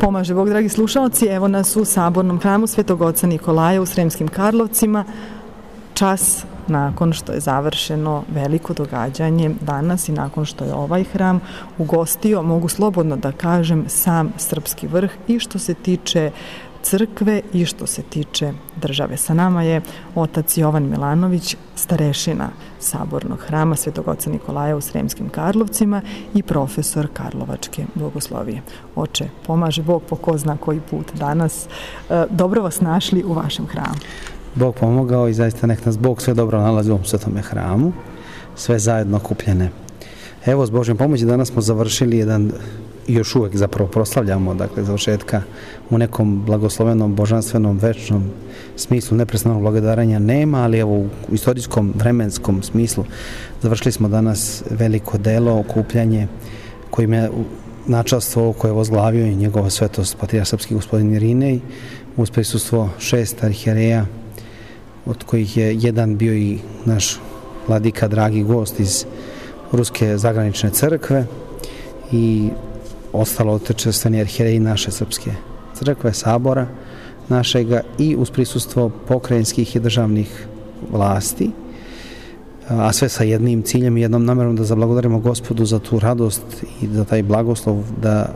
Pomaže Bog, dragi slušalci, evo nas u Sabornom hramu Svetog oca Nikolaja u Sremskim Karlovcima. Čas nakon što je završeno veliko događanje danas i nakon što je ovaj hram ugostio, mogu slobodno da kažem, sam srpski vrh i što se tiče crkve i što se tiče države. Sa nama je otac Jovan Milanović, starešina Sabornog hrama Svetog oca Nikolaja u Sremskim Karlovcima i profesor Karlovačke bogoslovije. Oče, pomaže Bog po ko zna koji put danas. Dobro vas našli u vašem hramu. Bog pomogao i zaista nek nas Bog sve dobro nalazi u ovom svetome hramu, sve zajedno okupljene. Evo, s Božjom pomoći danas smo završili jedan, još uvek zapravo proslavljamo, dakle, završetka u nekom blagoslovenom, božanstvenom, večnom smislu. Neprestanog благодарanja nema, ali evo u istorijskom, vremenskom smislu završili smo danas veliko delo, okupljanje kojim je načelstvo koje je vozglavio i njegova svetost patrijarh srpski gospodin Irinej uz prisustvo 6 arhijereja, od kojih je jedan bio i naš vladika, dragi gost iz Ruske zagranične crkve i ostalo otečestveni arhijereji naše srpske crkve, sabora našega i uz prisustvo pokrajinskih i državnih vlasti, a sve sa jednim ciljem i jednom namerom da zablagodarimo Gospodu za tu radost i za taj blagoslov da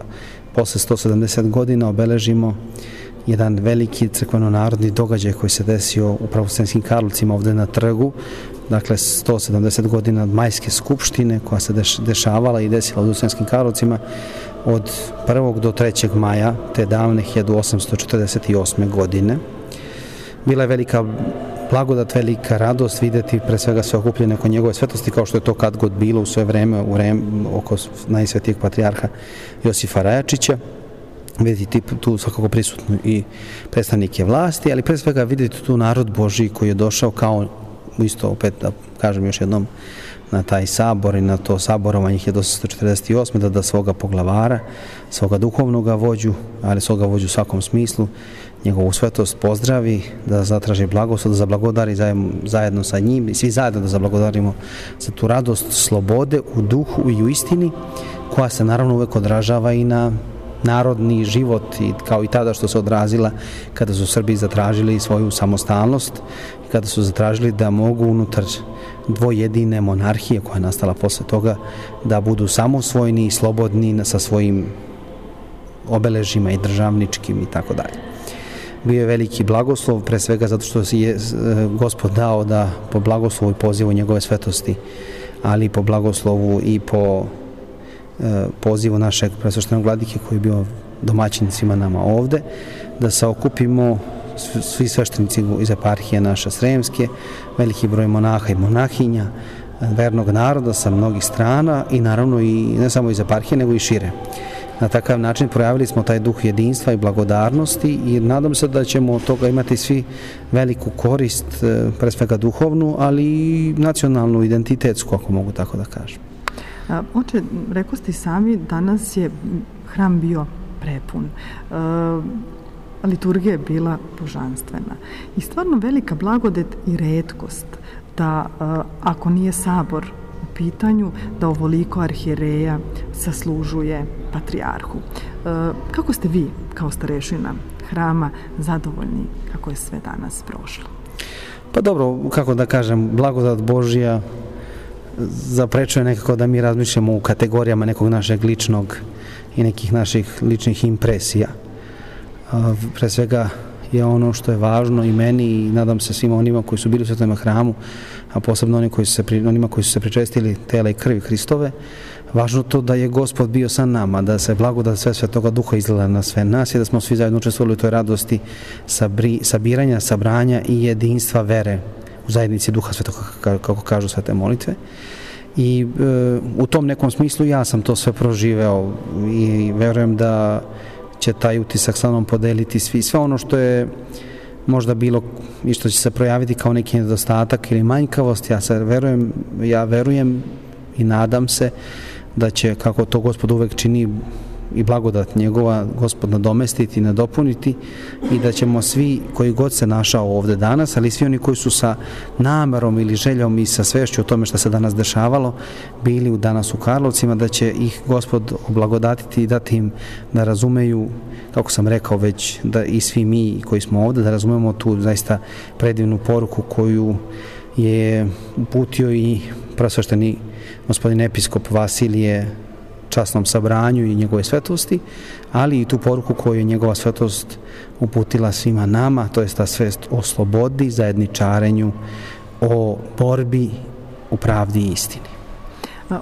posle 170 godina obeležimo jedan veliki crkveno-narodni događaj koji se desio upravo u Sremskim Karlovcima ovde na trgu, dakle 170 godina od majske skupštine koja se dešavala i desila u Sremskim Karlovcima od 1. do 3. maja te davne 1848. godine. Bila je velika blagodat, velika radost videti pre svega sve okupljene oko njegove svetosti, kao što je to kad god bilo u svoje vreme oko najsvetijeg patrijarha Josifa Rajačića. Vidjeti tu svakako prisutno i predstavnike vlasti, ali pre svega vidjeti tu narod Božiji koji je došao kao isto, opet da kažem još jednom, na taj sabor i na to saborovanje 1848. da svoga poglavara, svoga duhovnog vođu, ali svoga vođu u svakom smislu, njegovu svetost pozdravi, da zatraži blagoslov, da zablagodari zajedno sa njim i svi zajedno da zablagodarimo za tu radost slobode u duhu i u istini, koja se naravno uvek odražava i na narodni život, kao i tada što se odrazila kada su Srbi zatražili svoju samostalnost i kada su zatražili da mogu unutar dvojedine monarhije koja je nastala posle toga da budu samosvojni i slobodni sa svojim obeležima i državničkim i tako dalje. Bio je veliki blagoslov, pre svega zato što je Gospod dao da po blagoslovu i pozivu njegove svetosti, ali po blagoslovu i po pozivu našeg presveštenog vladike koji je bio domaćin svima nama ovde, da se okupimo svi sveštenici iz eparhije naše sremske, veliki broj monaha i monahinja, vernog naroda sa mnogih strana i naravno i ne samo iz eparhije nego i šire. Na takav način projavili smo taj duh jedinstva i blagodarnosti i nadam se da ćemo od toga imati svi veliku korist, pre svega duhovnu, ali i nacionalnu, identitetsku, ako mogu tako da kažem. Oče, rekao ste sami, danas je hram bio prepun. Liturgija je bila božanstvena. I stvarno velika blagodet i retkost da, ako nije sabor u pitanju, da ovoliko arhijereja saslužuje patrijarhu. Kako ste vi, kao starešina hrama, zadovoljni kako je sve danas prošlo? Pa dobro, kako da kažem, blagodat Božja zaprečuje nekako da mi razmišljamo u kategorijama nekog našeg ličnog i nekih naših ličnih impresija. Pre svega je ono što je važno i meni i nadam se svima onima koji su bili u svetom hramu, a posebno onima koji su se pričestili tela i krvi Hristove, važno to da je Gospod bio sa nama, da se blagodat sve Svetoga Duha izgleda na sve nas i da smo svi zajedno učestvovali u toj radosti sabiranja, sabranja i jedinstva vere u zajednici Duha Svetoga, kako kažu svete molitve. I u tom nekom smislu ja sam to sve proživeo i verujem da će taj utisak sa mnom podeliti sve ono što je možda bilo i što će se projaviti kao neki nedostatak ili manjkavost. Ja verujem i nadam se da će, kako to Gospod uvek čini, i blagodat njegova Gospod nadomestiti, nadopuniti i da ćemo svi koji god se našao ovde danas, ali svi oni koji su sa namerom ili željom i sa svešću o tome što se danas dešavalo, bili danas u Karlovcima, da će ih Gospod oblagodatiti i dati im da razumeju, kako sam rekao već, da i svi mi koji smo ovde, da razumemo tu zaista predivnu poruku koju je uputio i presvešteni gospodin episkop Vasilije časnom sabranju i njegove svetosti, ali i tu poruku koju je njegova svetost uputila svima nama, to je ta svest o slobodi, zajedničarenju, o borbi u pravdi i istini.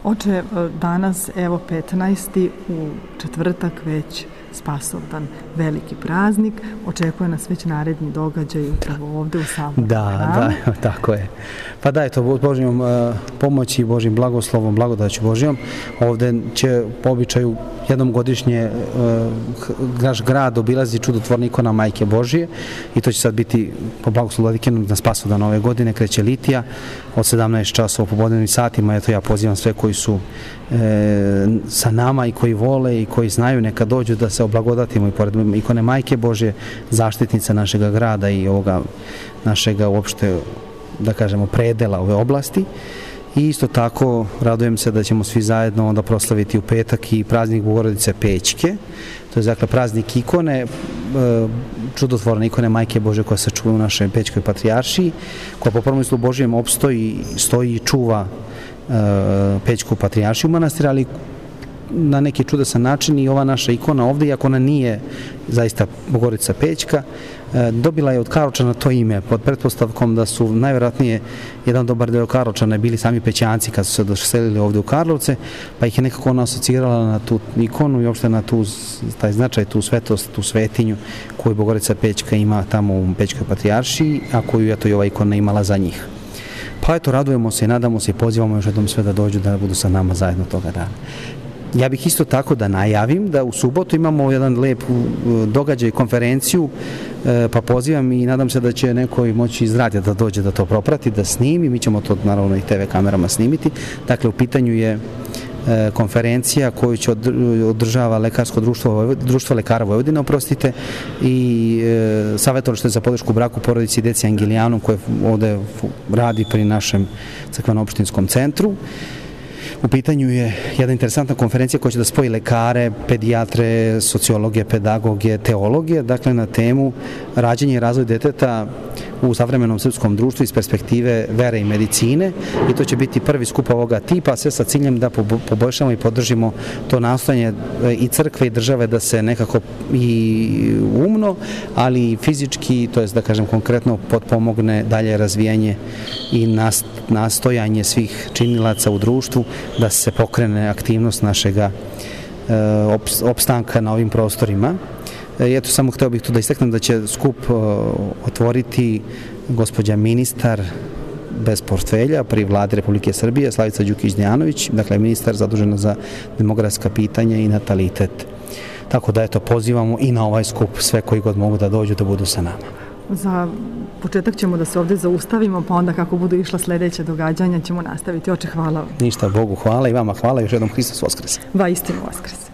Oče, danas, evo 15. u četvrtak već Spasovdan, veliki praznik, očekuje nas već naredni događaj upravo ovde u Sabornom hramu. Da, tako je. Pa da, je to Božjom pomoći, Božjim blagoslovom, blagodaću Božjom. Ovde će po običaju jednom godišnje naš grad obilazi čudotvorna ikona Majke Božije i to će sad biti po blagoslovu Vladikinu na Spasovdan ove godine, kreće litija od 17 časova u popodnevnim satima. Eto, ja pozivam sve koji su sa nama i koji vole i koji znaju, neka dođu da se oblagodatimo i pored ikone Majke Božje, zaštitnica našega grada i ovoga našega uopšte, da kažemo, predela ove oblasti. I isto tako radujem se da ćemo svi zajedno onda proslaviti u petak i praznik Bogorodice Pećke. To je dakle praznik ikone, čudotvorne ikone Majke Božje koja se čuva u našoj Pećkoj patrijaršiji, koja po promyslu Božjem opstoji, stoji i čuva Pećku patrijaršiju manastira, ali na neki čudesan način i ova naša ikona ovde, iako ona nije zaista Bogorodica Pećka, dobila je od Karlovčana to ime pod pretpostavkom da su najvjerojatnije jedan dobar deo Karlovčana bili sami Pećanci kad su se doselili ovde u Karlovce, pa ih je nekako ona asocirala na tu ikonu i uopšte na taj značaj, tu svetost, tu svetinju koju Bogorodica Pećka ima tamo u Pećkoj patrijaršiji, a koju je to i ova ikona imala za njih. Pa eto, radujemo se i nadamo se i pozivamo još jednom sve da dođu da budu sa nama zajedno toga dana. Ja bih isto tako da najavim da u subotu imamo jedan lep događaj, konferenciju, pa pozivam i nadam se da će neko moći iz radija da dođe da to proprati, da snimi, mi ćemo to naravno i TV kamerama snimiti. Dakle, u pitanju je konferencija koju će održava Lekarsko društvo lekara Vojvodine, oprostite, i savjetovalište za podršku braku, porodici i deci Angelijanum koje ovde radi pri našem crkveno-opštinskom centru. U pitanju je jedna interesantna konferencija koja će da spoji lekare, pedijatre, sociologe, pedagoge, teologe, dakle na temu rađenje i razvoj deteta u savremenom srpskom društvu iz perspektive vere i medicine, i to će biti prvi skup ovoga tipa, sve sa ciljem da poboljšamo i podržimo to nastojanje i crkve i države da se nekako i umno, ali i fizički, to jest da kažem konkretno, potpomogne dalje razvijanje i nastojanje svih činilaca u društvu da se pokrene aktivnost našega opstanka na ovim prostorima. Eto, samo hteo bih tu da istaknem da će skup otvoriti gospođa ministar bez portfelja pri vladi Republike Srbije, Slavica Đukić-Dejanović, dakle ministar zadužena za demografska pitanja i natalitet. Tako da eto, pozivamo i na ovaj skup sve koji god mogu da dođu da budu sa nama. Za početak ćemo da se ovde zaustavimo, pa onda kako budu išla sledeća događanja ćemo nastaviti. Oče, hvala vam. Ništa, Bogu hvala i vama hvala, još jednom Hristos Voskres. Vaistinu Voskres.